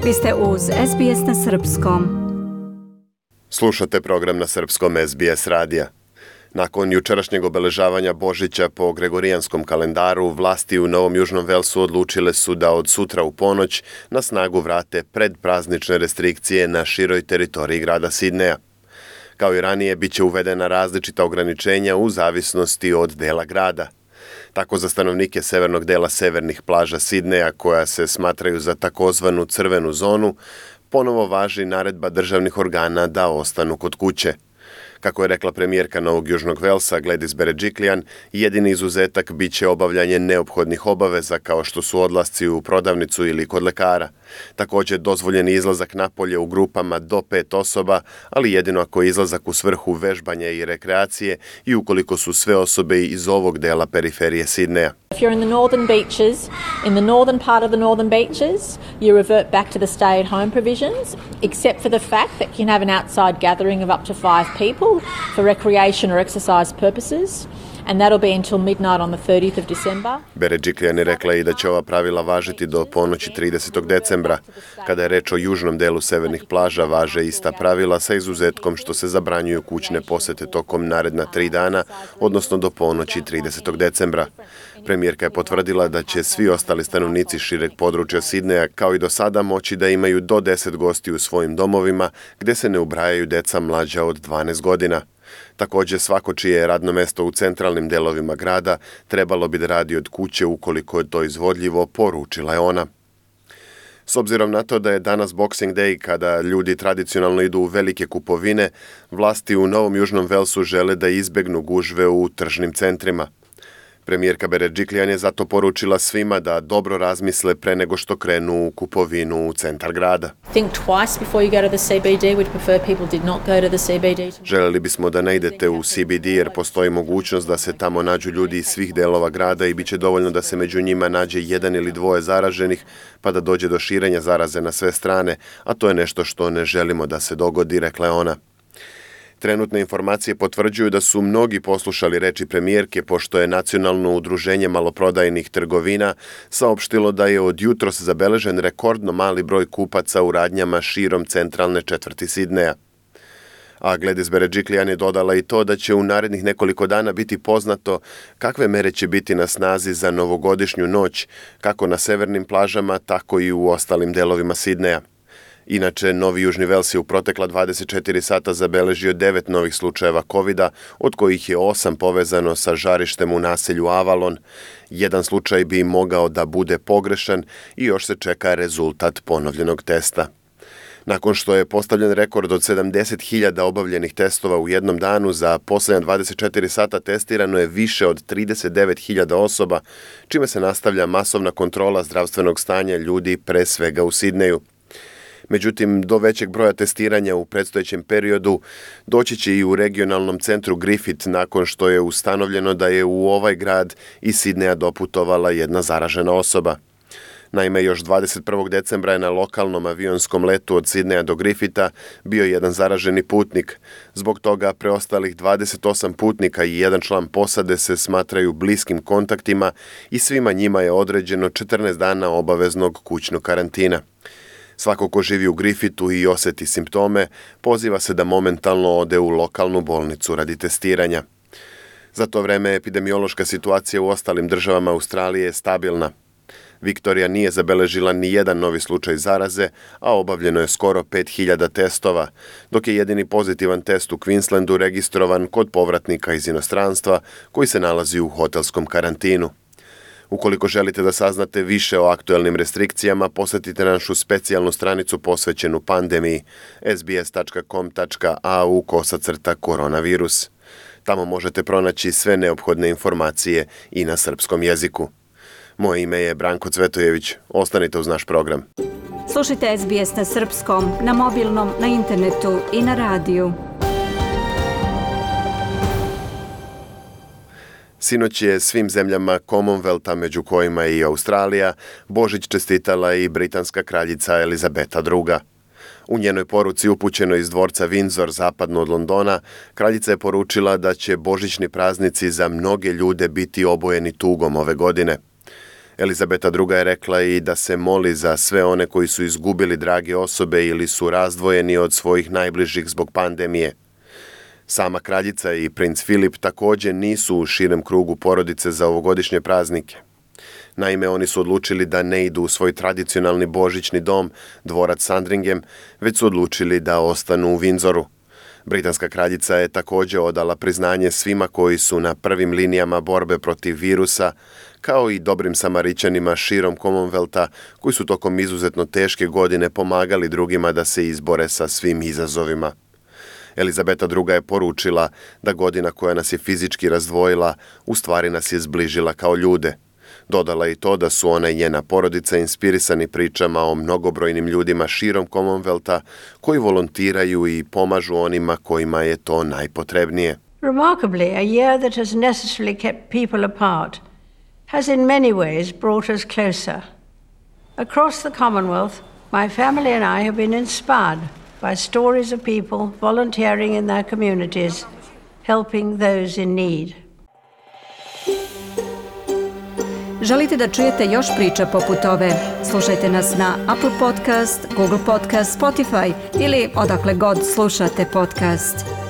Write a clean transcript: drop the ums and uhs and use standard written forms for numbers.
Vi ste uz SBS na Srpskom. Slušate program na Srpskom SBS radija. Nakon jučerašnjeg obeležavanja Božića po Gregorijanskom kalendaru, vlasti u Novom Južnom Velsu odlučile su da od sutra u ponoć na snagu vrate predpraznične restrikcije na široj teritoriji grada Sidneja. Kao i ranije, bit će uvedena različita ograničenja u zavisnosti od dela grada. Tako za stanovnike severnog dela severnih plaža Sidneja, koja se smatraju za takozvanu crvenu zonu, ponovo važi naredba državnih organa da ostanu kod kuće. Kako je rekla premijerka Novog Južnog Velsa Gladys Berejiklian, jedini izuzetak bit će obavljanje neophodnih obaveza kao što su odlasci u prodavnicu ili kod lekara. Također dozvoljen izlazak napolje u grupama do 5 osoba, ali jedino ako je izlazak u svrhu vežbanja i rekreacije i ukoliko su sve osobe iz ovog dela periferije Sidneja. If you're in the northern beaches, in the northern part of the northern beaches, you revert back to the stay-at-home provisions, except for the fact that you can have an outside gathering of up to 5 people for recreation or exercise purposes, and that'll be until midnight on the 30th of December. Berejiklian je rekla i da će ova pravila važiti do ponoći 30. decembra. Kada je reč o južnom delu severnih plaža, važe ista pravila sa izuzetkom što se zabranjuju kućne posete tokom naredna 3 dana, odnosno do ponoći 30. decembra. Premijerka je potvrdila da će svi ostali stanovnici šireg područja Sidneja kao i do sada moći da imaju do 10 gosti u svojim domovima gdje se ne ubrajaju deca mlađa od 12 godina. Također svako čije je radno mesto u centralnim delovima grada trebalo bi da radi od kuće ukoliko je to izvodljivo, poručila je ona. S obzirom na to da je danas Boxing Day, kada ljudi tradicionalno idu u velike kupovine, vlasti u Novom Južnom Velsu žele da izbegnu gužve u tržnim centrima. Premijerka Berejiklian je zato poručila svima da dobro razmisle pre nego što krenu u kupovinu u centar grada. Think twice before you go to the CBD. We'd prefer people did not go to the CBD. Željeli bismo da ne idete u CBD jer postoji mogućnost da se tamo nađu ljudi iz svih delova grada i bit će dovoljno da se među njima nađe 1 ili 2 zaraženih pa da dođe do širenja zaraze na sve strane, a to je nešto što ne želimo da se dogodi, rekla je ona. Trenutne informacije potvrđuju da su mnogi poslušali reči premijerke, pošto je Nacionalno udruženje maloprodajnih trgovina saopštilo da je od jutros zabeležen rekordno mali broj kupaca u radnjama širom centralne četvrti Sidneja. A Gladys Berejiklian je dodala i to da će u narednih nekoliko dana biti poznato kakve mere će biti na snazi za novogodišnju noć, kako na severnim plažama, tako i u ostalim delovima Sidneja. Inače, Novi Južni Vels je u protekla 24 sata zabeležio 9 novih slučajeva COVID-a, od kojih je 8 povezano sa žarištem u naselju Avalon. Jedan slučaj bi mogao da bude pogrešan i još se čeka rezultat ponovljenog testa. Nakon što je postavljen rekord od 70.000 obavljenih testova u jednom danu, za posljednja 24 sata testirano je više od 39.000 osoba, čime se nastavlja masovna kontrola zdravstvenog stanja ljudi pre svega u Sidneju. Međutim, do većeg broja testiranja u predstojećem periodu doći će i u regionalnom centru Griffith nakon što je ustanovljeno da je u ovaj grad iz Sidneja doputovala jedna zaražena osoba. Naime, još 21. decembra je na lokalnom avionskom letu od Sidneja do Griffitha bio jedan zaraženi putnik. Zbog toga preostalih 28 putnika i jedan član posade se smatraju bliskim kontaktima i svima njima je određeno 14 dana obaveznog kućnog karantina. Svako ko živi u Griffithu i osjeti simptome, poziva se da momentalno ode u lokalnu bolnicu radi testiranja. Za to vreme epidemiološka situacija u ostalim državama Australije je stabilna. Viktorija nije zabeležila ni jedan novi slučaj zaraze, a obavljeno je skoro 5.000 testova, dok je jedini pozitivan test u Queenslandu registrovan kod povratnika iz inostranstva koji se nalazi u hotelskom karantinu. Ukoliko želite da saznate više o aktuelnim restrikcijama, posjetite našu specijalnu stranicu posvećenu pandemiji sbs.com.au/koronavirus. Tamo možete pronaći sve neophodne informacije i na srpskom jeziku. Moje ime je Branko Cvetojević. Ostanite uz naš program. Slušajte SBS na Srpskom, na mobilnom, na internetu i na radiju. Sinoć je svim zemljama Commonwealtha, među kojima je i Australija, Božić čestitala i britanska kraljica Elizabeta II. U njenoj poruci upućenoj iz dvorca Windsor zapadno od Londona, kraljica je poručila da će božićni praznici za mnoge ljude biti obojeni tugom ove godine. Elizabeta II. Je rekla i da se moli za sve one koji su izgubili drage osobe ili su razdvojeni od svojih najbližih zbog pandemije. Sama kraljica i princ Filip također nisu u širem krugu porodice za ovogodišnje praznike. Naime, oni su odlučili da ne idu u svoj tradicionalni božićni dom, dvorac Sandringham, već su odlučili da ostanu u Windsoru. Britanska kraljica je također odala priznanje svima koji su na prvim linijama borbe protiv virusa, kao i dobrim Samarićanima širom Commonwealtha koji su tokom izuzetno teške godine pomagali drugima da se izbore sa svim izazovima. Elizabeta II. Je poručila da godina koja nas je fizički razdvojila, u stvari nas je zbližila kao ljude. Dodala i to da su ona i njena porodica inspirisani pričama o mnogobrojnim ljudima širom Commonwealtha koji volontiraju i pomažu onima kojima je to najpotrebnije. Remarkably, a year that has necessarily kept people apart has in many ways brought us closer. Across the Commonwealth, my family and I have been inspired by stories of people volunteering in their communities, helping those in need. Želite da čujete još priča poput ove? Slušajte nas na Apple Podcast, Google Podcast, Spotify ili odakle god slušate podcast.